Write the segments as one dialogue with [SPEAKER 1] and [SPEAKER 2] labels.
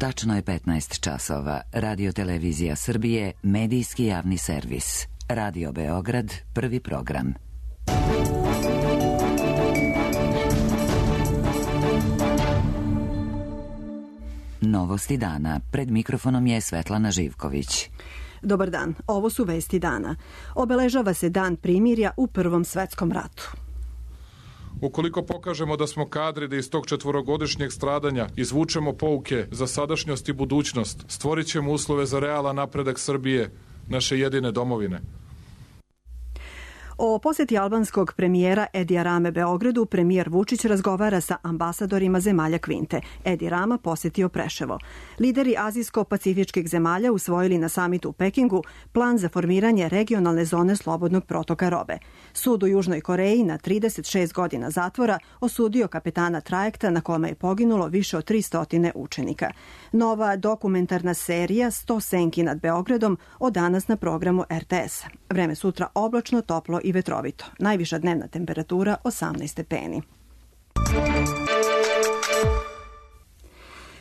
[SPEAKER 1] Tačno je 15 časova. Radio Televizija Srbije, medijski javni servis. Radio Beograd, prvi program. Novosti dana. Pred mikrofonom je Svetlana Živković.
[SPEAKER 2] Dobar dan, ovo su vesti dana. Obeležava se Dan primirja u Prvom svetskom ratu.
[SPEAKER 3] Ukoliko pokažemo da smo kadri da iz tog 4-godišnjeg stradanja izvučemo pouke za sadašnjost i budućnost, stvorit ćemo uslove za realan napredak Srbije, naše jedine domovine.
[SPEAKER 2] O poseti albanskog premijera Edija Rame Beogradu premijer Vučić razgovara sa ambasadorima zemalja Kvinte. Edi Rama posetio Preševo. Lideri azijsko-pacifičkih zemalja usvojili na samitu u Pekingu plan za formiranje regionalne zone slobodnog protoka robe. Sud u Južnoj Koreji na 36 godina zatvora osudio kapetana trajekta na kome je poginulo više od 300 učenika. Nova dokumentarna serija 100 senki nad Beogradom od danas na programu RTS. Vreme sutra oblačno, toplo i vetrovito. Najviša dnevna temperatura 18 stepeni.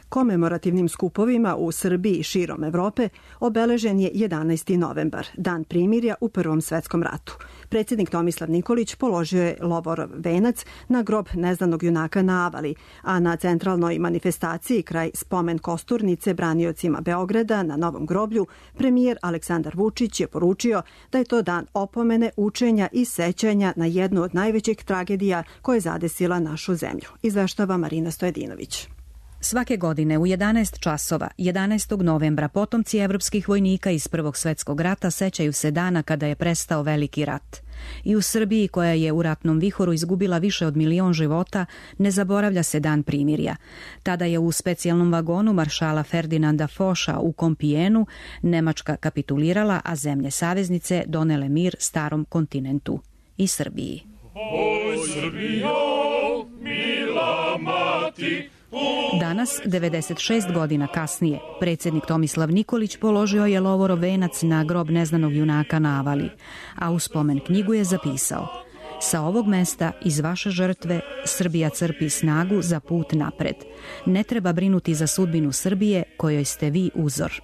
[SPEAKER 2] Komemorativnim skupovima u Srbiji i širom Evrope obeležen je 11. novembar, Dan primirja u Prvom svetskom ratu. Predsjednik Tomislav Nikolić položio je lovorov venac na grob neznanog junaka na Avali, a na centralnoj manifestaciji kraj spomen kosturnice braniocima Beograda na Novom groblju premijer Aleksandar Vučić je poručio da je to dan opomene, učenja i sećanja na jednu od najvećih tragedija koja je zadesila našu zemlju. Izveštava Marina Stojedinović.
[SPEAKER 4] Svake godine u 11 časova, 11. novembra, potomci evropskih vojnika iz Prvog svetskog rata sećaju se dana kada je prestao Veliki rat. I u Srbiji, koja je u ratnom vihoru izgubila više od 1.000.000 života, ne zaboravlja se Dan primirja. Tada je u specijalnom vagonu maršala Ferdinanda Foša u Kompijenu Nemačka kapitulirala, a zemlje saveznice donele mir starom kontinentu i Srbiji.
[SPEAKER 5] Oj, Srbijo, mila mati,
[SPEAKER 4] danas, 96 godina kasnije, predsjednik Tomislav Nikolić položio je lovorov venac na grob neznanog junaka na Avali, a u spomen knjigu je zapisao: sa ovog mesta, iz vaše žrtve, Srbija crpi snagu za put napred. Ne treba brinuti za sudbinu Srbije, kojoj ste vi uzor.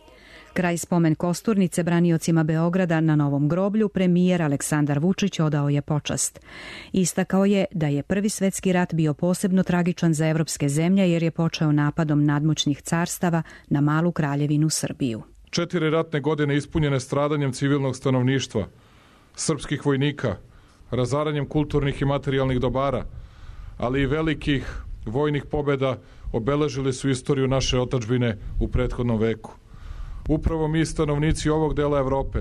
[SPEAKER 4] Kraj spomen kosturnice braniocima Beograda na Novom groblju premijer Aleksandar Vučić odao je počast. Istakao je da je Prvi svetski rat bio posebno tragičan za evropske zemlje jer je počeo napadom nadmoćnih carstava na malu kraljevinu Srbiju.
[SPEAKER 3] 4 ratne godine ispunjene stradanjem civilnog stanovništva, srpskih vojnika, razaranjem kulturnih i materijalnih dobara, ali i velikih vojnih pobjeda obeležili su istoriju naše otadžbine u prethodnom veku. Upravo mi, stanovnici ovog dela Evrope,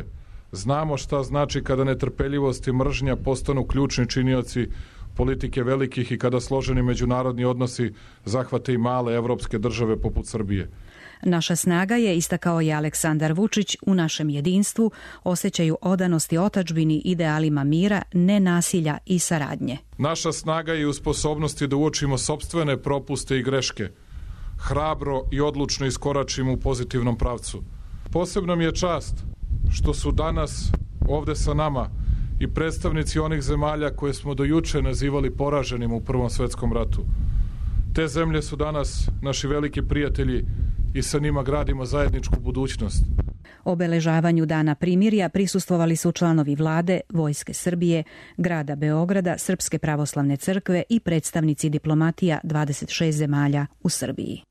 [SPEAKER 3] znamo šta znači kada netrpeljivost i mržnja postanu ključni činioci politike velikih i kada složeni međunarodni odnosi zahvate i male evropske države poput Srbije.
[SPEAKER 4] Naša snaga je, istakao je Aleksandar Vučić, u našem jedinstvu, osjećaju odanosti otadžbini, idealima mira, nenasilja i saradnje.
[SPEAKER 3] Naša snaga je u sposobnosti da uočimo sopstvene propuste i greške, hrabro i odlučno iskoračimo u pozitivnom pravcu. Posebna mi je čast što su danas ovde sa nama i predstavnici onih zemalja koje smo do juče nazivali poraženim u Prvom svetskom ratu. Te zemlje su danas naši veliki prijatelji i sa njima gradimo zajedničku budućnost.
[SPEAKER 4] Obeležavanju Dana primirja prisustvovali su članovi vlade, Vojske Srbije, grada Beograda, Srpske pravoslavne crkve i predstavnici diplomatija 26 zemalja u Srbiji.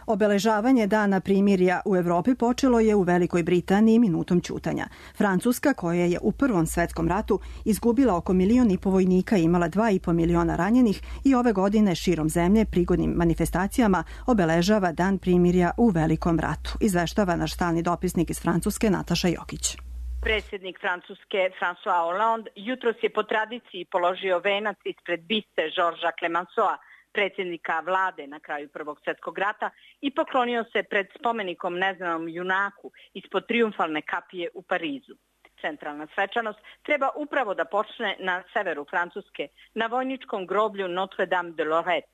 [SPEAKER 2] Obeležavanje Dana primirja u Evropi počelo je u Velikoj Britaniji minutom ćutanja. Francuska, koja je u Prvom svetskom ratu izgubila oko 1,5 miliona vojnika i imala 2,5 miliona ranjenih, i ove godine širom zemlje prigodnim manifestacijama obeležava Dan primirja u Velikom ratu. Izveštava naš stalni dopisnik iz Francuske Nataša Jokić.
[SPEAKER 6] Predsjednik Francuske François Hollande jutros je po tradiciji položio venac ispred biste Georgesa Clemenceaua, predsjednika vlade na kraju Prvog svjetskog rata, i poklonio se pred spomenikom neznanom junaku ispod trijumfalne kapije u Parizu. Centralna svečanost treba upravo da počne na severu Francuske, na vojničkom groblju Notre Dame de Lorette.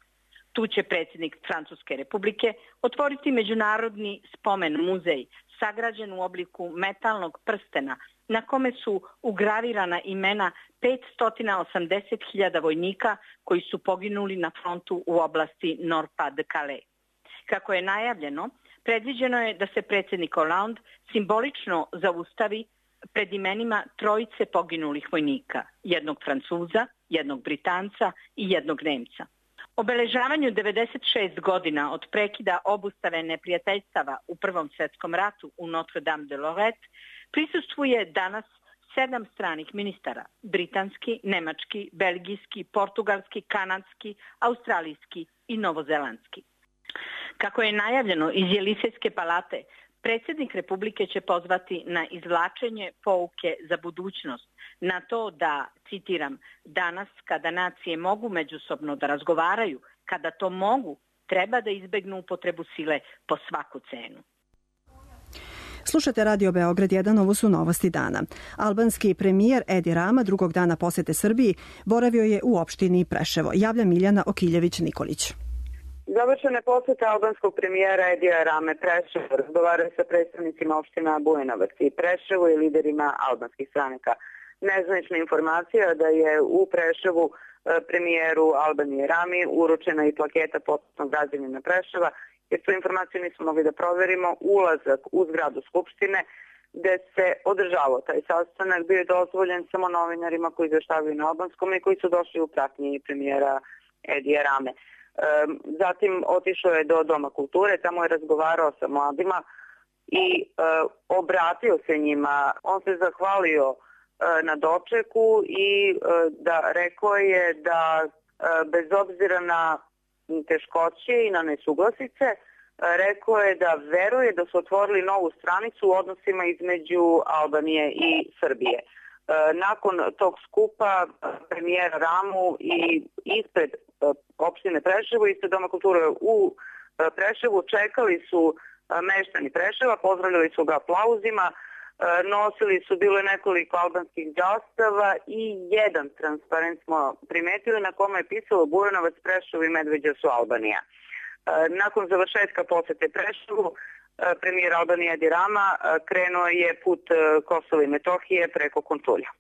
[SPEAKER 6] Tu će predsjednik Francuske republike otvoriti međunarodni spomen muzej, sagrađen u obliku metalnog prstena, na kome su ugravirana imena 580.000 vojnika koji su poginuli na frontu u oblasti Nord-Pas-de-Calais. Kako je najavljeno, predviđeno je da se predsjednik Hollande simbolično zaustavi pred imenima trojice poginulih vojnika, jednog Francuza, jednog Britanca i jednog Nemca. Obeležavanju 96 godina od prekida obustave neprijateljstava u Prvom svjetskom ratu u Notre Dame de Lorette prisustvuje danas 7 stranih ministara, britanski, nemački, belgijski, portugalski, kanadski, australijski i novozelandski. Kako je najavljeno iz Jelisejske palate, predsjednik Republike će pozvati na izvlačenje pouke za budućnost, na to da, citiram, danas kada nacije mogu međusobno da razgovaraju, kada to mogu, treba da izbegnu upotrebu sile po svaku cenu.
[SPEAKER 2] Slušate Radio Beograd 1, ovo su novosti dana. Albanski premijer Edi Rama drugog dana posete Srbiji boravio je u opštini Preševo. Javlja Miljana Okiljević-Nikolić.
[SPEAKER 7] Završena poseta albanskog premijera Edija Rame Preševo, razgovaraju sa predstavnicima opština Bujanovac i Preševo i liderima albanskih stranaka. Nezvanična informacija da je u Preševu premijeru Albanije Rami uručena i plaketa počasnog građanina Preševa, jer tu informaciju nismo mogli da proverimo, ulazak u zgradu Skupštine gde se održavao taj sastanak bio je dozvoljen samo novinarima koji izveštavaju na albanskom i koji su došli u pratnji premijera Edija Rame. Zatim otišao je do Doma kulture, tamo je razgovarao sa mladima i obratio se njima. On se zahvalio na dočeku i rekao je da bez obzira na teškoće i na nesuglasice, rekao je da veruje da su otvorili novu stranicu u odnosima između Albanije i Srbije. Nakon tog skupa premijera Ramu i ispred opštine Preševo, ispred Doma kulture u Preševu, čekali su meštani Preševa, pozdravljali su ga aplauzima, nosili su, bilo je nekoliko albanskih zastava i jedan transparent smo primetili na kome je pisalo Bujanovac, Preševo i Medveđa su Albanija. Nakon završetka posete Preševu, premijer Albanije Edi Rama krenuo je put Kosova i Metohije preko Kontulja.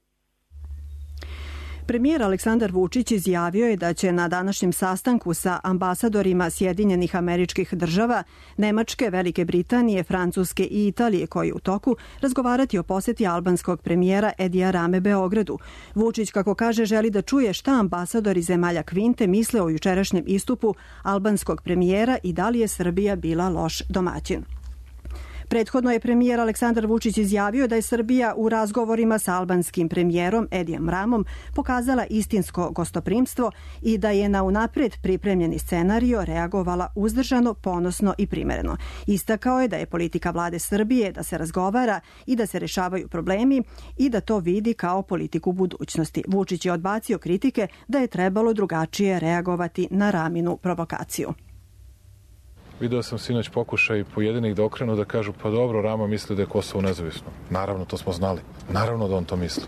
[SPEAKER 2] Premijer Aleksandar Vučić izjavio je da će na današnjem sastanku sa ambasadorima Sjedinjenih Američkih Država, Nemačke, Velike Britanije, Francuske i Italije koji je u toku razgovarati o poseti albanskog premijera Edija Rame Beogradu. Vučić, kako kaže, želi da čuje šta ambasadori zemalja Kvinte misle o jučerašnjem istupu albanskog premijera i da li je Srbija bila loš domaćin. Prethodno je premijer Aleksandar Vučić izjavio da je Srbija u razgovorima sa albanskim premijerom Edijem Ramom pokazala istinsko gostoprimstvo i da je na unapred pripremljeni scenario reagovala uzdržano, ponosno i primereno. Istakao je da je politika vlade Srbije da se razgovara i da se rešavaju problemi i da to vidi kao politiku budućnosti. Vučić je odbacio kritike da je trebalo drugačije reagovati na Raminu provokaciju.
[SPEAKER 3] Video sam sinoć pokušaj pojedinih da okrenu da kažu pa dobro, Rama misli da je Kosovo nezavisno. Naravno, to smo znali. Naravno da on to misli.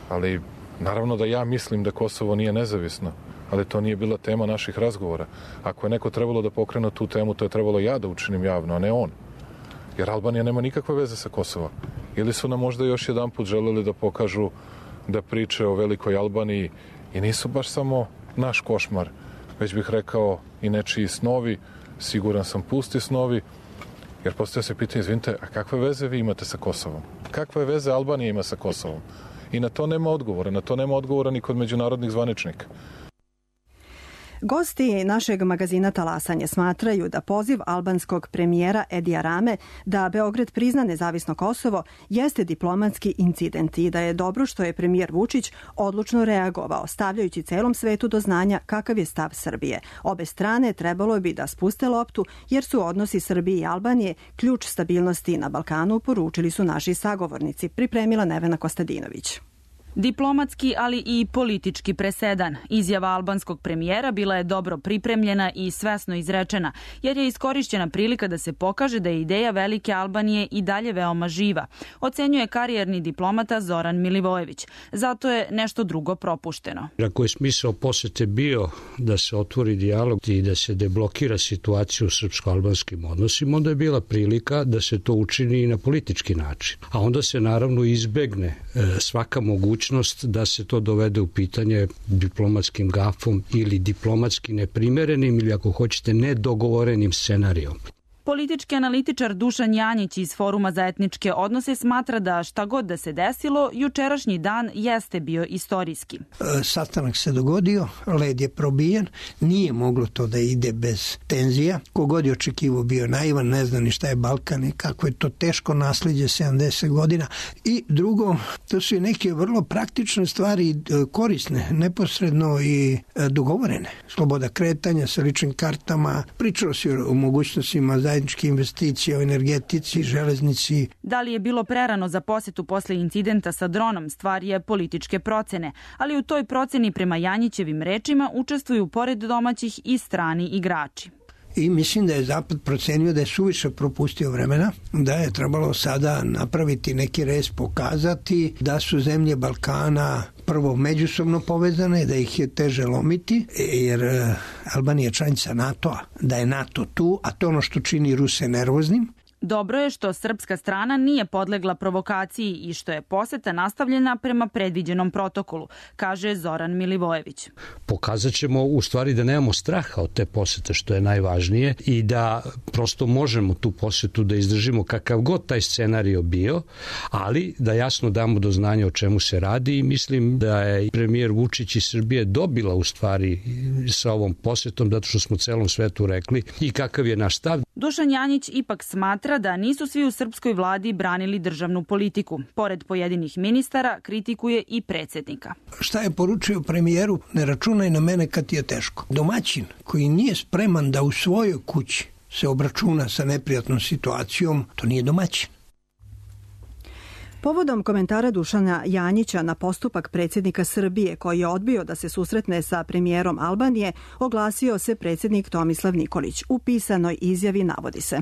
[SPEAKER 3] Ali naravno da ja mislim da Kosovo nije nezavisno. Ali to nije bila tema naših razgovora. Ako je neko trebalo da pokrene tu temu, to je trebalo ja da učinim javno, a ne on. Jer Albanija nema nikakve veze sa Kosovom. Ili su nam možda još jedan put želeli da pokažu da priče o velikoj Albaniji i nisu baš samo naš košmar, već bih rekao i nečiji snovi, siguran sam pusti snovi, jer postoje se pitanje, izvinite, a kakve veze vi imate sa Kosovom? Kakve veze Albanija ima sa Kosovom? I na to nema odgovora ni kod međunarodnih zvaničnika.
[SPEAKER 2] Gosti našeg magazina Talasanje smatraju da poziv albanskog premijera Edija Rame da Beograd prizna nezavisno Kosovo jeste diplomatski incident i da je dobro što je premijer Vučić odlučno reagovao, stavljajući celom svetu do znanja kakav je stav Srbije. Obe strane trebalo bi da spuste loptu jer su odnosi Srbije i Albanije ključ stabilnosti na Balkanu, poručili su naši sagovornici, pripremila Nevena Kostadinović.
[SPEAKER 8] Diplomatski, ali i politički presedan. Izjava albanskog premijera bila je dobro pripremljena i svesno izrečena, jer je iskorišćena prilika da se pokaže da je ideja velike Albanije i dalje veoma živa, ocenjuje karijerni diplomata Zoran Milivojević. Zato je nešto drugo propušteno.
[SPEAKER 9] Ako je smisao posete bio da se otvori dijalog i da se deblokira situacija u srpsko-albanskim odnosima, onda je bila prilika da se to učini i na politički način. A onda se naravno izbegne svaka mogućnost mogućnost da se to dovede u pitanje diplomatskim gafom ili diplomatski neprimerenim ili ako hoćete nedogovorenim scenarijom.
[SPEAKER 8] Politički analitičar Dušan Janjić iz Foruma za etničke odnose smatra da šta god da se desilo, jučerašnji dan jeste bio istorijski.
[SPEAKER 10] Sastanak se dogodio, led je probijen, nije moglo to da ide bez tenzija. Kogod je očekivao bio naivan, ne zna ni šta je Balkan i kako je to teško naslijeđe 70 godina. I drugo, to su i neke vrlo praktične stvari, korisne, neposredno i dogovorene. Sloboda kretanja sa ličnim kartama, pričalo se o mogućnostima zajedničke investicije o energetici, železnici.
[SPEAKER 8] Da li je bilo prerano za posetu posle incidenta sa dronom, stvar je političke procene, ali u toj proceni prema Janjićevim rečima učestvuju pored domaćih i strani igrači.
[SPEAKER 10] I mislim da je Zapad procenio da je suviše propustio vremena, da je trebalo sada napraviti neki rez, pokazati da su zemlje Balkana prvo međusobno povezane, da ih je teže lomiti, jer Albanija je članica NATO-a, da je NATO tu, a to ono što čini Ruse nervoznim.
[SPEAKER 8] Dobro je što srpska strana nije podlegla provokaciji i što je poseta nastavljena prema predviđenom protokolu, kaže Zoran Milivojević.
[SPEAKER 9] Pokazat ćemo u stvari da nemamo straha od te posete, što je najvažnije, i da prosto možemo tu posetu da izdržimo kakav god taj scenario bio, ali da jasno damo do znanja o čemu se radi i mislim da je premijer Vučić iz Srbije dobila u stvari sa ovom posetom, zato što smo celom svetu rekli i kakav je naš stav.
[SPEAKER 8] Dušan Janjić ipak smatra da nisu svi u srpskoj vladi branili državnu politiku. Pored pojedinih ministara, kritikuje i predsjednika.
[SPEAKER 10] Šta je poručio premijeru? Ne računaj na mene kad ti je teško. Domaćin koji nije spreman da u svojoj kući se obračuna sa neprijatnom situacijom, to nije domaćin.
[SPEAKER 2] Povodom komentara Dušana Janjića na postupak predsjednika Srbije koji je odbio da se susretne sa premijerom Albanije, oglasio se predsjednik Tomislav Nikolić. U pisanoj izjavi navodi se: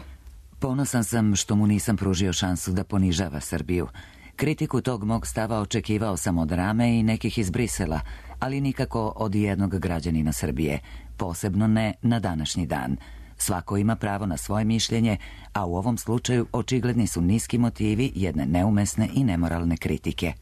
[SPEAKER 1] Ponosan sam što mu nisam pružio šansu da ponižava Srbiju. Kritiku tog mog stava očekivao sam od Rame i nekih iz Brisela, ali nikako od jednog građanina Srbije, posebno ne na današnji dan. Svako ima pravo na svoje mišljenje, a u ovom slučaju očigledni su niski motivi jedne neumesne i nemoralne kritike.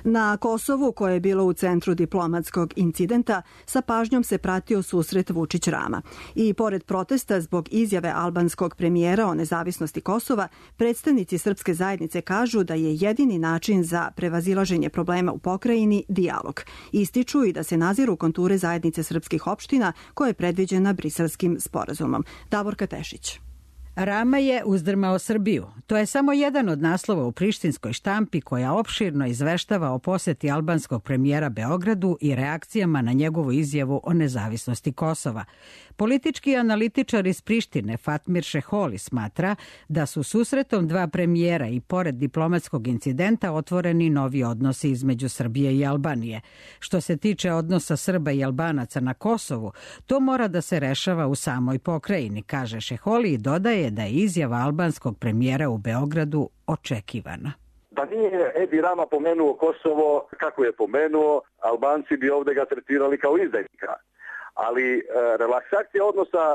[SPEAKER 2] Na Kosovu, koje je bilo u centru diplomatskog incidenta, sa pažnjom se pratio susret Vučić-Rama. I pored protesta zbog izjave albanskog premijera o nezavisnosti Kosova, predstavnici srpske zajednice kažu da je jedini način za prevazilaženje problema u pokrajini dijalog. Ističu i da se naziru konture zajednice srpskih opština koje je predviđena Briselskim sporazumom. Davorka Tešić.
[SPEAKER 11] Rama je uzdrmao Srbiju. To je samo jedan od naslova u prištinskoj štampi koja opširno izveštava o poseti albanskog premijera Beogradu i reakcijama na njegovu izjavu o nezavisnosti Kosova. Politički analitičar iz Prištine Fatmir Šeholi smatra da su susretom dva premijera i pored diplomatskog incidenta otvoreni novi odnosi između Srbije i Albanije. Što se tiče odnosa Srba i Albanaca na Kosovu, to mora da se rešava u samoj pokrajini, kaže Šeholi i dodaje da je izjava albanskog premijera u Beogradu očekivana.
[SPEAKER 12] Da nije Edi Rama pomenuo Kosovo kako je pomenuo, Albanci bi ovdje ga tretirali kao izdajnika. Ali relaksacija odnosa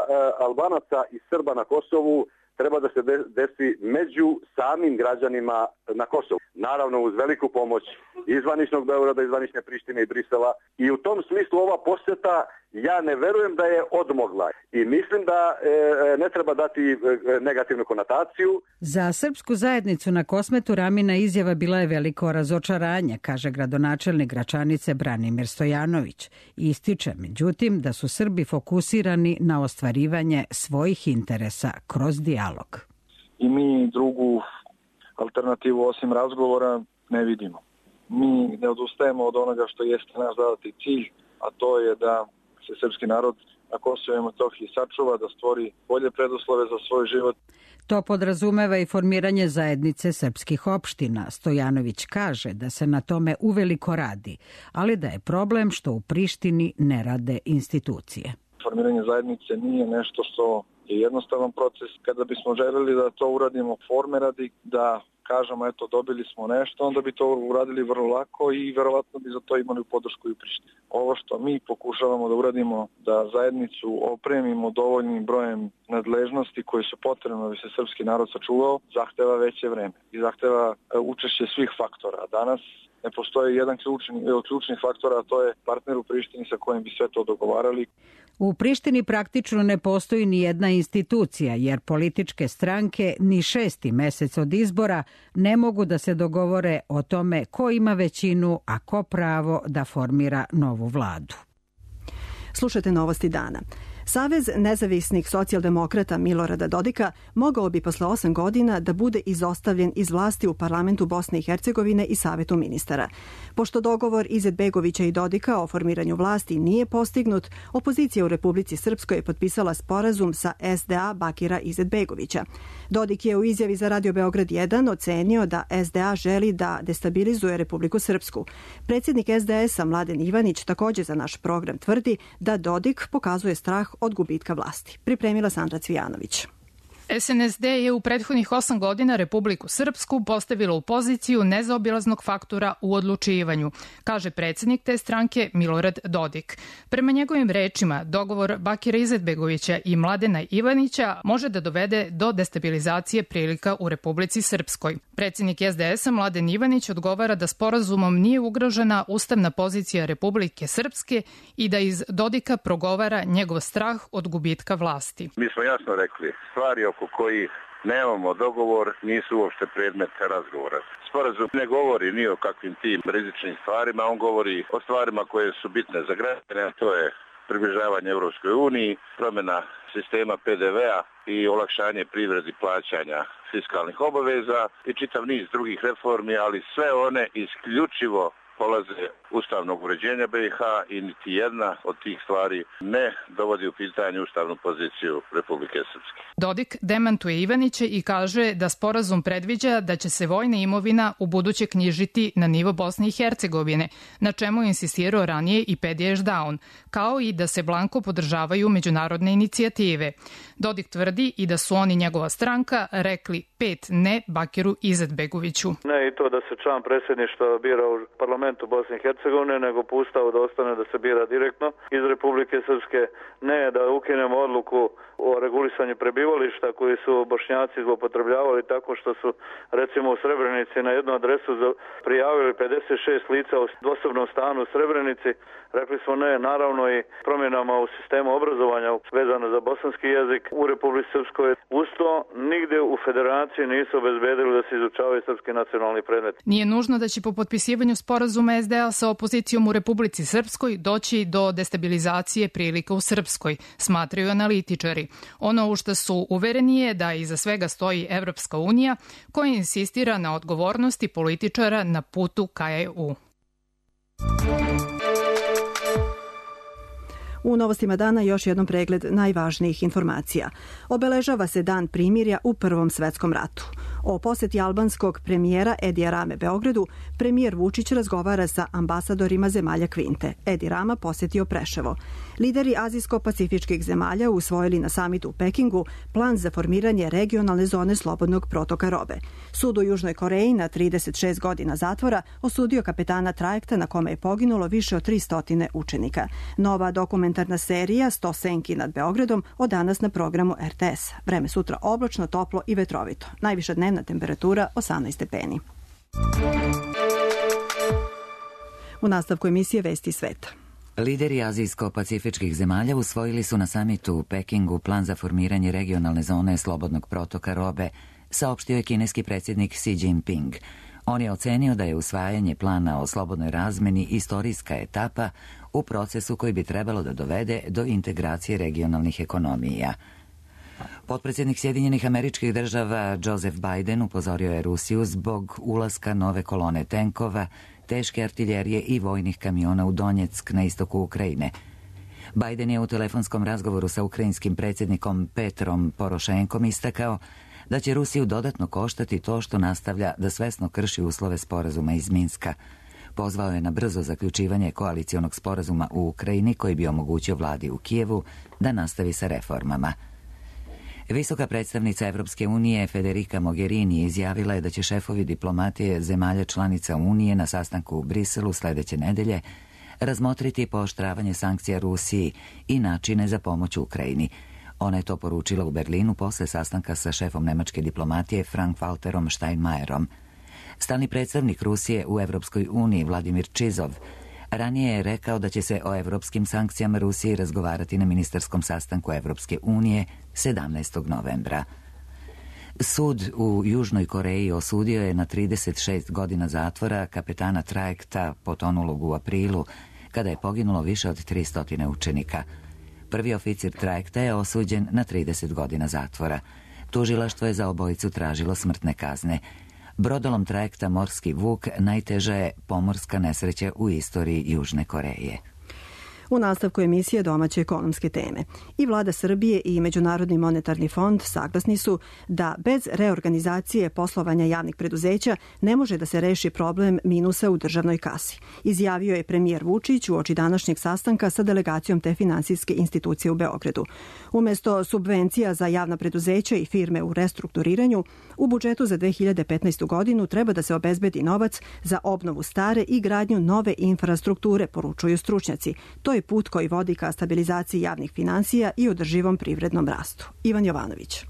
[SPEAKER 12] Albanaca i Srba na Kosovu treba da se desi među samim građanima na Kosovu. Naravno uz veliku pomoć izvaničnog Beograda, izvanične Prištine i Brisela. I u tom smislu ova posjeta ja ne verujem da je odmogla. I mislim da ne treba dati negativnu konotaciju.
[SPEAKER 11] Za srpsku zajednicu na Kosmetu Ramina izjava bila je veliko razočaranje, kaže gradonačelnik Gračanice Branimir Stojanović. Ističe, međutim, da su Srbi fokusirani na ostvarivanje svojih interesa kroz dijalog.
[SPEAKER 13] I mi drugu alternativu osim razgovora ne vidimo. Mi ne odustajemo od onoga što jeste naš zadati cilj, a to je da se srpski narod na Kosovu i Metohiji sačuva, da stvori bolje preduslove za svoj život.
[SPEAKER 11] To podrazumeva i formiranje zajednice srpskih opština. Stojanović kaže da se na tome uveliko radi, ali da je problem što u Prištini ne rade institucije.
[SPEAKER 13] Formiranje zajednice nije nešto što je jednostavan proces. Kada bismo želeli da to uradimo forme radi, da kažemo eto dobili smo nešto, onda bi to uradili vrlo lako i verovatno bi za to imali podršku i u Prištini. Ovo što mi pokušavamo da uradimo, da zajednicu opremimo dovoljnim brojem nadležnosti koji su potrebne da bi se srpski narod sačuvao, zahteva veće vreme i zahteva učešće svih faktora. Danas ne postoji jedan od ključnih faktora, a to je partner u Prištini sa kojim bi sve to dogovarali.
[SPEAKER 11] U Prištini praktično ne postoji ni jedna institucija, jer političke stranke ni 6. mesec od izbora ne mogu da se dogovore o tome ko ima većinu, a ko pravo da formira novu vladu.
[SPEAKER 2] Slušajte novosti dana. Savez nezavisnih socijaldemokrata Milorada Dodika mogao bi posle 8 godina da bude izostavljen iz vlasti u parlamentu Bosne i Hercegovine i Savetu ministara. Pošto dogovor Izetbegovića i Dodika o formiranju vlasti nije postignut, opozicija u Republici Srpskoj je potpisala sporazum sa SDA Bakira Izetbegovića. Dodik je u izjavi za Radio Beograd 1 ocenio da SDA želi da destabilizuje Republiku Srpsku. Predsjednik SDS-a Mladen Ivanić također za naš program tvrdi da Dodik pokazuje strah od gubitka vlasti. Pripremila Sandra Cvijanović.
[SPEAKER 14] SNSD je u prethodnih 8 godina Republiku Srpsku postavila u poziciju nezaobilaznog faktora u odlučivanju, kaže predsjednik te stranke Milorad Dodik. Prema njegovim rečima, dogovor Bakira Izetbegovića i Mladena Ivanića može da dovede do destabilizacije prilika u Republici Srpskoj. Predsjednik SDS-a Mladen Ivanić odgovara da sporazumom nije ugrožena ustavna pozicija Republike Srpske i da iz Dodika progovara njegov strah od gubitka vlasti.
[SPEAKER 15] Mi smo jasno rekli, stvari oko kojih nemamo dogovor nisu uopšte predmet razgovora. Sporazum ne govori ni o kakvim tim rizičnim stvarima, on govori o stvarima koje su bitne za građane, a to je približavanje Europskoj uniji, promjena sistema PDV-a i olakšanje privredi plaćanja fiskalnih obaveza i čitav niz drugih reformi, ali sve one isključivo polaze ustavnog uređenja BiH i niti jedna od tih stvari ne dovodi u pitanje ustavnu poziciju Republike Srpske.
[SPEAKER 14] Dodik demantuje Ivanića i kaže da sporazum predviđa da će se vojna imovina u buduće knjižiti na nivo Bosne i Hercegovine, na čemu je insistirao ranije i Pedija Ešdaun, kao i da se blanko podržavaju međunarodne inicijative. Dodik tvrdi i da su oni njegova stranka rekli 5 ne Bakiru Izetbegoviću.
[SPEAKER 16] Ne i to da se član predsjedništva bira u parlamentu Bosne i Hercegovine, nego pustao da ostane da se bira direktno iz Republike Srpske. Ne da ukinemo odluku o regulisanju prebivališta koji su Bošnjaci zloupotrebljavali tako što su recimo u Srebrenici na jednu adresu prijavili 56 lica u dvosobnom stanu u Srebrenici. Rekli smo ne, naravno i promjenama u sistemu obrazovanja vezano za bosanski jezik u Republici Srpskoj. Uz to nigde u federaciji nisu obezbedili da se izučavaju srpski nacionalni predmet.
[SPEAKER 14] Nije nužno da će po potpisivanju sporazuma SDA sa opozicijom u Republici Srpskoj doći do destabilizacije prilika u Srpskoj, smatraju analitičari. Ono u što su uvereni je da iza svega stoji Evropska unija koja insistira na odgovornosti političara na putu ka EU.
[SPEAKER 2] U novostima dana još jednom pregled najvažnijih informacija. Obeležava se dan primirja u Prvom svetskom ratu. O posjeti albanskog premijera Edija Rame Beogradu, premijer Vučić razgovara sa ambasadorima zemalja Kvinte. Edi Rama posjetio Preševo. Lideri azijsko-pacifičkih zemalja usvojili na samitu u Pekingu plan za formiranje regionalne zone slobodnog protoka robe. Sud u Južnoj Koreji na 36 godina zatvora osudio kapetana trajekta na kome je poginulo više od 300 učenika. Nova dokumentarna serija 100 senki nad Beogradom od danas na programu RTS. Vreme sutra oblačno, toplo i vetrovito. Najviša dnevna temperatura 18 stepeni. U nastavku emisije Vesti sveta.
[SPEAKER 1] Lideri azijsko-pacifičkih zemalja usvojili su na samitu u Pekingu plan za formiranje regionalne zone slobodnog protoka robe, saopštio je kineski predsjednik Xi Jinping. On je ocenio da je usvajanje plana o slobodnoj razmeni istorijska etapa u procesu koji bi trebalo da dovede do integracije regionalnih ekonomija. Potpredsjednik Sjedinjenih Američkih Država Joseph Biden upozorio je Rusiju zbog ulaska nove kolone tenkova, teške artiljerije i vojnih kamiona u Donjeck na istoku Ukrajine. Biden je u telefonskom razgovoru sa ukrajinskim predsjednikom Petrom Porošenkom istakao da će Rusiju dodatno koštati to što nastavlja da svesno krši uslove sporazuma iz Minska. Pozvao je na brzo zaključivanje koalicionog sporazuma u Ukrajini koji bi omogućio vladi u Kijevu da nastavi sa reformama. Visoka predstavnica Evropske unije Federica Mogherini izjavila je da će šefovi diplomatije zemalja članica Unije na sastanku u Briselu sledeće nedelje razmotriti pooštravanje sankcija Rusiji i načine za pomoć Ukrajini. Ona je to poručila u Berlinu posle sastanka sa šefom nemačke diplomatije Frank-Walterom Steinmeierom. Stalni predstavnik Rusije u Evropskoj uniji Vladimir Čizov ranije je rekao da će se o evropskim sankcijama Rusiji razgovarati na ministarskom sastanku Evropske unije 17. novembra. Sud u Južnoj Koreji osudio je na 36 godina zatvora kapetana trajekta potonulog u aprilu, kada je poginulo više od 300 učenika. Prvi oficir trajekta je osuđen na 30 godina zatvora. Tužilaštvo je za obojicu tražilo smrtne kazne. Brodolom trajekta Morski Vuk najteža je pomorska nesreća u istoriji Južne Koreje.
[SPEAKER 2] U nastavku emisije domaće ekonomske teme. I vlada Srbije i Međunarodni monetarni fond saglasni su da bez reorganizacije poslovanja javnih preduzeća ne može da se reši problem minusa u državnoj kasi. Izjavio je premijer Vučić uoči današnjeg sastanka sa delegacijom te finansijske institucije u Beogradu. Umesto subvencija za javna preduzeća i firme u restrukturiranju, u budžetu za 2015. godinu treba da se obezbedi novac za obnovu stare i gradnju nove infrastrukture, poručuju stručnjaci. To je put koji vodi ka stabilizaciji javnih finansija i održivom privrednom rastu. Ivan Jovanović.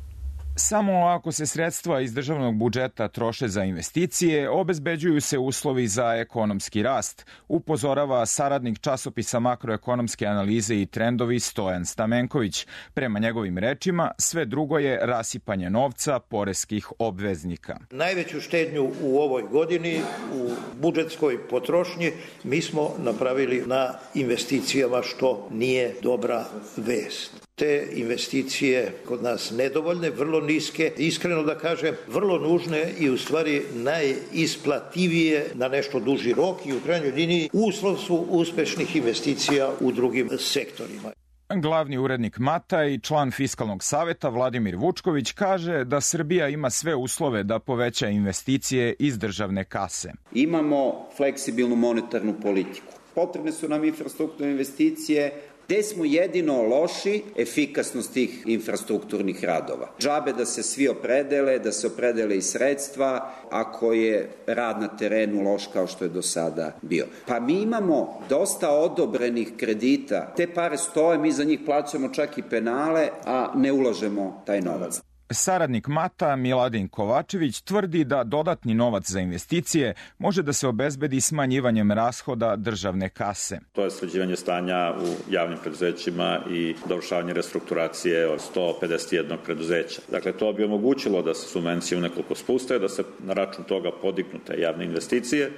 [SPEAKER 17] Samo ako se sredstva iz državnog budžeta troše za investicije, obezbeđuju se uslovi za ekonomski rast, upozorava saradnik časopisa makroekonomske analize i trendovi Stojan Stamenković. Prema njegovim rečima, sve drugo je rasipanje novca poreskih obveznika.
[SPEAKER 18] Najveću štednju u ovoj godini u budžetskoj potrošnji mi smo napravili na investicijama, što nije dobra vest. Te investicije kod nas nedovoljne, vrlo niske, iskreno da kažem, vrlo nužne i u stvari najisplativije na nešto duži rok i u krajnjoj liniji uslov su uspešnih investicija u drugim sektorima.
[SPEAKER 17] Glavni urednik Mata i član Fiskalnog saveta Vladimir Vučković kaže da Srbija ima sve uslove da poveća investicije iz državne kase.
[SPEAKER 19] Imamo fleksibilnu monetarnu politiku. Potrebne su nam infrastrukturne investicije. Gde smo jedino loši? Efikasnost tih infrastrukturnih radova. Džabe da se svi opredele, da se opredele i sredstva, ako je rad na terenu loš kao što je do sada bio. Pa mi imamo dosta odobrenih kredita. Te pare stoje, mi za njih plaćamo čak i penale, a ne ulažemo taj novac.
[SPEAKER 17] Saradnik Mata Miladin Kovačević tvrdi da dodatni novac za investicije može da se obezbedi smanjivanjem rashoda državne kase.
[SPEAKER 20] To je sređivanje stanja u javnim preduzećima i dovršavanje restrukturacije od 151 preduzeća. Dakle, to bi omogućilo da se subvencije u nekoliko spuste, da se na račun toga podignu te javne investicije.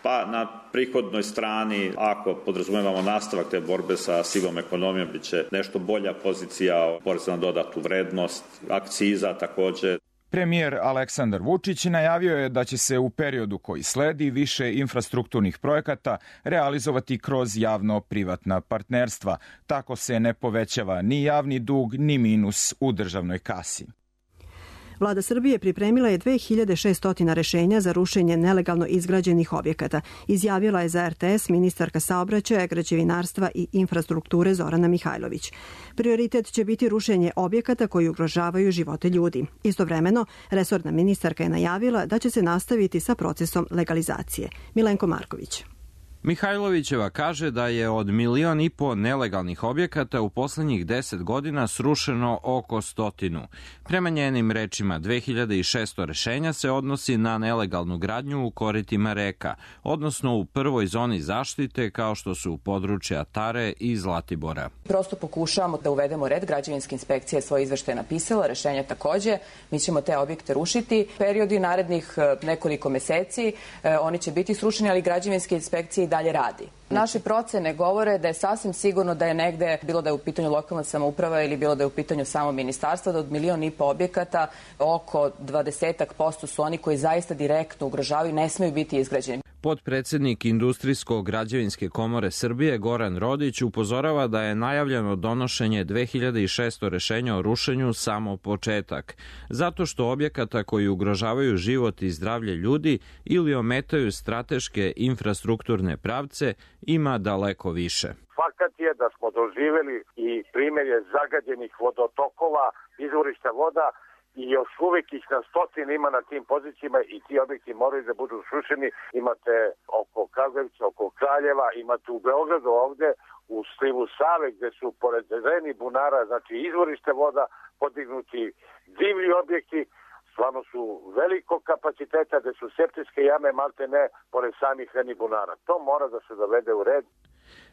[SPEAKER 20] Pa na prihodnoj strani, ako podrazumevamo nastavak te borbe sa sivom ekonomijom, bit će nešto bolja pozicija poreza na dodatu vrednost, akciza takođe.
[SPEAKER 17] Premijer Aleksandar Vučić najavio je da će se u periodu koji sledi više infrastrukturnih projekata realizovati kroz javno-privatna partnerstva. Tako se ne povećava ni javni dug, ni minus u državnoj kasi.
[SPEAKER 2] Vlada Srbije pripremila je 2600 rešenja za rušenje nelegalno izgrađenih objekata, izjavila je za RTS ministarka saobraćaja, građevinarstva i infrastrukture Zorana Mihajlović. Prioritet će biti rušenje objekata koji ugrožavaju živote ljudi. Istovremeno, resorna ministarka je najavila da će se nastaviti sa procesom legalizacije. Milenko Marković.
[SPEAKER 21] Mihajlovićeva kaže da je od 1,5 miliona nelegalnih objekata u poslednjih 10 godina srušeno oko 100. Prema njenim rečima, 2600 rešenja se odnosi na nelegalnu gradnju u koritima reka, odnosno u prvoj zoni zaštite kao što su područja Tare i Zlatibora.
[SPEAKER 22] Prosto pokušavamo da uvedemo red, građevinska inspekcija je svoje izveštaje napisala, rešenja takođe, mi ćemo te objekte rušiti. Periodi narednih nekoliko meseci oni će biti srušeni, ali građevinske inspekcije dalje radi. Naše procene govore da je sasvim sigurno da je negde, bilo da je u pitanju lokalna samouprava ili bilo da je u pitanju samo ministarstvo, da od 1,5 miliona objekata oko 20% su oni koji zaista direktno ugrožavaju i ne smeju biti izgrađeni.
[SPEAKER 21] Potpredsednik Industrijsko-građevinske komore Srbije Goran Rodić upozorava da je najavljeno donošenje 2600 rešenja o rušenju samo početak, zato što objekata koji ugrožavaju život i zdravlje ljudi ili ometaju strateške infrastrukturne pravce ima daleko više.
[SPEAKER 4] Fakat je da smo doživeli i primjerje zagađenih vodotokova, izvorišta voda, i još uvijek ih na stotine ima na tim pozicijama i ti objekti moraju da budu srušeni. Imate oko Kragujevca, oko Kraljeva, imate u Beogradu ovde, u slivu Save gde su pored Reni bunara, znači izvorište voda, podignuti divlji objekti, stvarno su velikog kapaciteta gde su septičke jame malte ne pored samih Reni bunara. To mora da se dovede u red.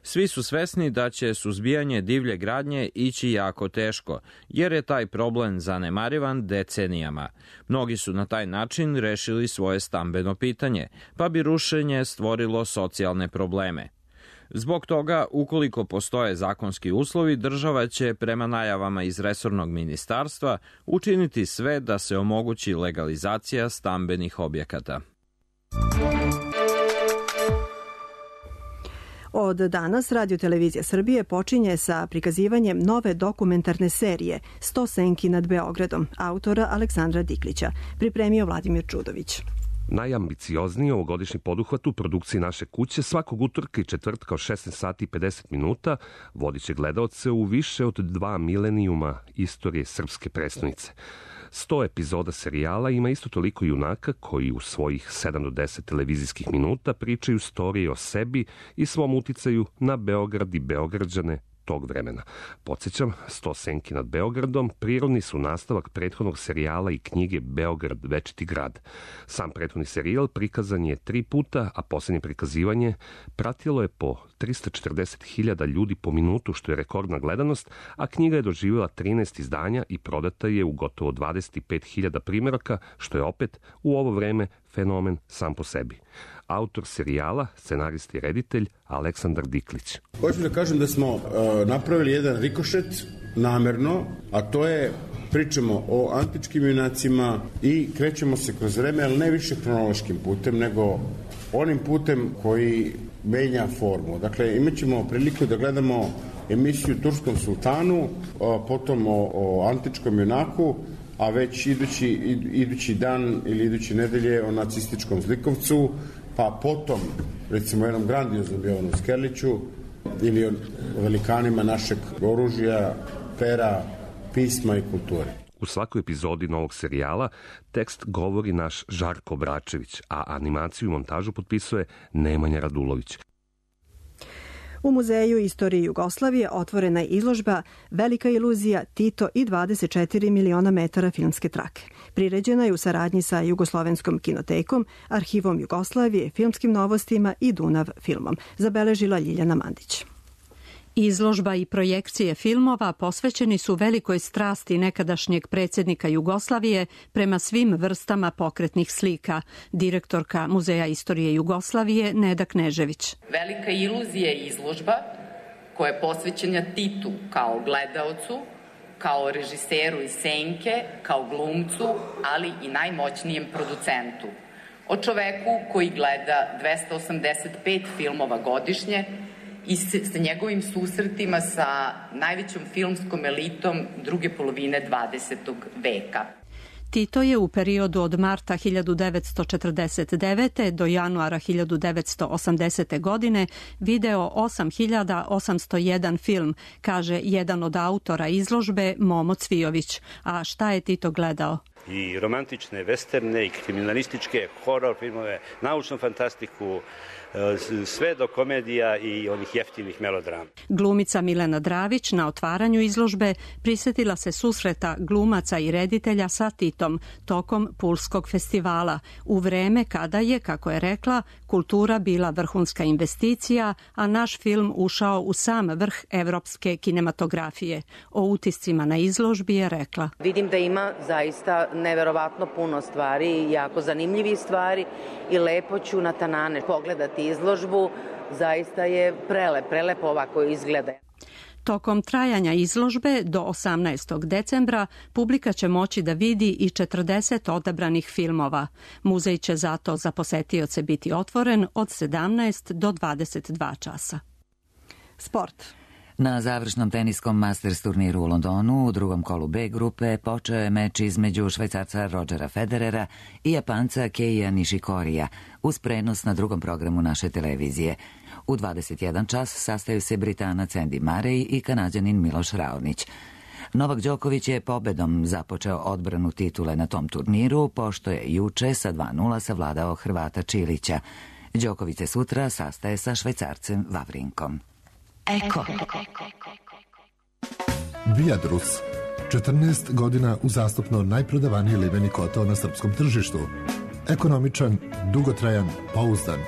[SPEAKER 21] Svi su svesni da će suzbijanje divlje gradnje ići jako teško, jer je taj problem zanemarivan decenijama. Mnogi su na taj način rešili svoje stambeno pitanje, pa bi rušenje stvorilo socijalne probleme. Zbog toga, ukoliko postoje zakonski uslovi, država će, prema najavama iz resornog ministarstva, učiniti sve da se omogući legalizacija stambenih objekata.
[SPEAKER 2] Od danas Radio-televizija Srbije počinje sa prikazivanjem nove dokumentarne serije 100 senki nad Beogradom, autora Aleksandra Diklića, pripremio Vladimir Čudović.
[SPEAKER 5] Najambiciozniji ovogodišnji poduhvat u produkciji naše kuće svakog utorka i četvrtka od 16 sati i 50 minuta vodit će gledaoce u više od 2 milenijuma istorije srpske prestonice. 100 epizoda serijala ima isto toliko junaka koji u svojih 7 do 10 televizijskih minuta pričaju storije o sebi i svom uticaju na Beograd i Beograđane tog vremena. Podsjećam, 100 senki nad Beogradom prirodni su nastavak prethodnog serijala i knjige Beograd, večiti grad. Sam prethodni serijal prikazan je 3 puta, a posljednje prikazivanje pratilo je po 340.000 ljudi po minutu, što je rekordna gledanost, a knjiga je doživjela 13 izdanja i prodata je u gotovo 25.000 primjeraka, što je opet u ovo vreme fenomen sam po sebi. Autor serijala, scenarist i reditelj Aleksandar Diklić.
[SPEAKER 23] Hoću da kažem da smo napravili jedan rikošet namerno, a to je pričamo o antičkim junacima i krećemo se kroz vreme, ali ne više hronološkim putem, nego onim putem koji menja formu. Dakle, imat ćemo priliku da gledamo emisiju Turskom sultanu, potom o antičkom junaku, a već idući dan ili iduće nedelje o nacističkom zlikovcu, pa potom, recimo, jednom grandioznom Jovanu Skerliću ili o velikanima našeg oružja, pera, pisma i kulture.
[SPEAKER 5] U svakoj epizodi novog serijala tekst govori naš Žarko Bračević, a animaciju i montažu potpisuje Nemanja Radulović.
[SPEAKER 2] U Muzeju istorije Jugoslavije otvorena je izložba Velika iluzija, Tito i 24 miliona metara filmske trake. Priređena je u saradnji sa Jugoslovenskom kinotekom, Arhivom Jugoslavije, Filmskim novostima i Dunav filmom, zabeležila Ljiljana Mandić.
[SPEAKER 24] Izložba i projekcije filmova posvećeni su velikoj strasti nekadašnjeg predsjednika Jugoslavije prema svim vrstama pokretnih slika. Direktorka Muzeja istorije Jugoslavije Neda Knežević.
[SPEAKER 25] Velika iluzija je izložba koja je posvećena Titu kao gledaocu, kao režiseru iz senke, kao glumcu, ali i najmoćnijem producentu. O čoveku koji gleda 285 filmova godišnje i sa njegovim susretima sa najvećom filmskom elitom druge polovine 20. veka.
[SPEAKER 24] Tito je u periodu od marta 1949. do januara 1980. godine video 8.801 film, kaže jedan od autora izložbe Momo Cvijović. A šta je Tito gledao?
[SPEAKER 26] I romantične, westerne, i kriminalističke, horor filmove, naučnu fantastiku, sve do komedija i onih jeftinih melodrama.
[SPEAKER 24] Glumica Milena Dravić na otvaranju izložbe prisjetila se susreta glumaca i reditelja sa Titom tokom Pulskog festivala, u vreme kada je, kako je rekla, kultura bila vrhunska investicija, a naš film ušao u sam vrh evropske kinematografije. O utiscima na izložbi je rekla:
[SPEAKER 27] Vidim da ima zaista neverovatno puno stvari, jako zanimljivih stvari i lepo ću na Tanane pogledati izložbu. Zaista je prelepo ovako izgleda.
[SPEAKER 24] Tokom trajanja izložbe do 18. decembra publika će moći da vidi i 40 odabranih filmova. Muzej će zato za posetioce biti otvoren od 17 do 22 časa.
[SPEAKER 2] Sport.
[SPEAKER 1] Na završnom teniskom Masters turniru u Londonu u drugom kolu B grupe počeo je meč između Švajcarca Rodgera Federera i Japanca Keija Nishikorija uz prenos na drugom programu naše televizije. U 21 čas sastaju se Britanac Andy Murray i Kanađanin Miloš Raonić. Novak Đoković je pobedom započeo odbranu titule na tom turniru, pošto je juče sa 2:0 savladao Hrvata Čilića. Đoković se sutra sastaje sa Švajcarcem Vavrinkom. Eko.
[SPEAKER 3] Viadrus. 14 godina uzastopno najprodavaniji liveni kotao na srpskom tržištu. Ekonomičan, dugotrajan, pouzdan.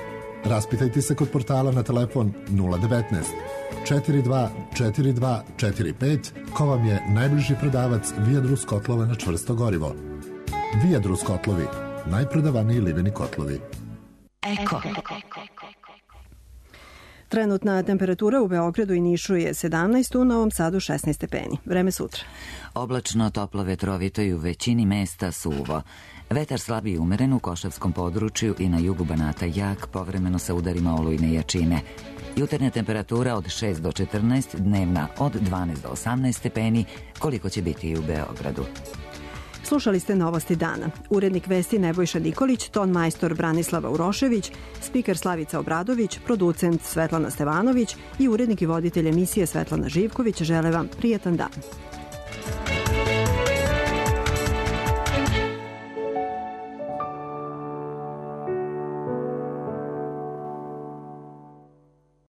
[SPEAKER 3] Raspitajte se kod portala na telefon 019 42 42 45 ko vam je najbliži prodavac Viadrus kotlova na čvrsto gorivo. Viadrus kotlovi. Najprodavaniji liveni kotlovi.
[SPEAKER 2] Eko. Trenutna temperatura u Beogradu i Nišu je 17, u Novom Sadu 16 stepeni. Vreme sutra.
[SPEAKER 1] Oblačno, toplo, vetrovito i u većini mesta suvo. Vetar slab i umeren u Košavskom području i na jugu Banata jak, povremeno sa udarima olujne jačine. Jutarnja temperatura od 6 do 14, dnevna od 12 do 18 stepeni, koliko će biti i u Beogradu.
[SPEAKER 2] Slušali ste Novosti dana. Urednik vesti Nebojša Nikolić, ton majstor Branislava Urošević, spiker Slavica Obradović, producent Svetlana Stevanović i urednik i voditelj emisije Svetlana Živković žele vam prijatan dan.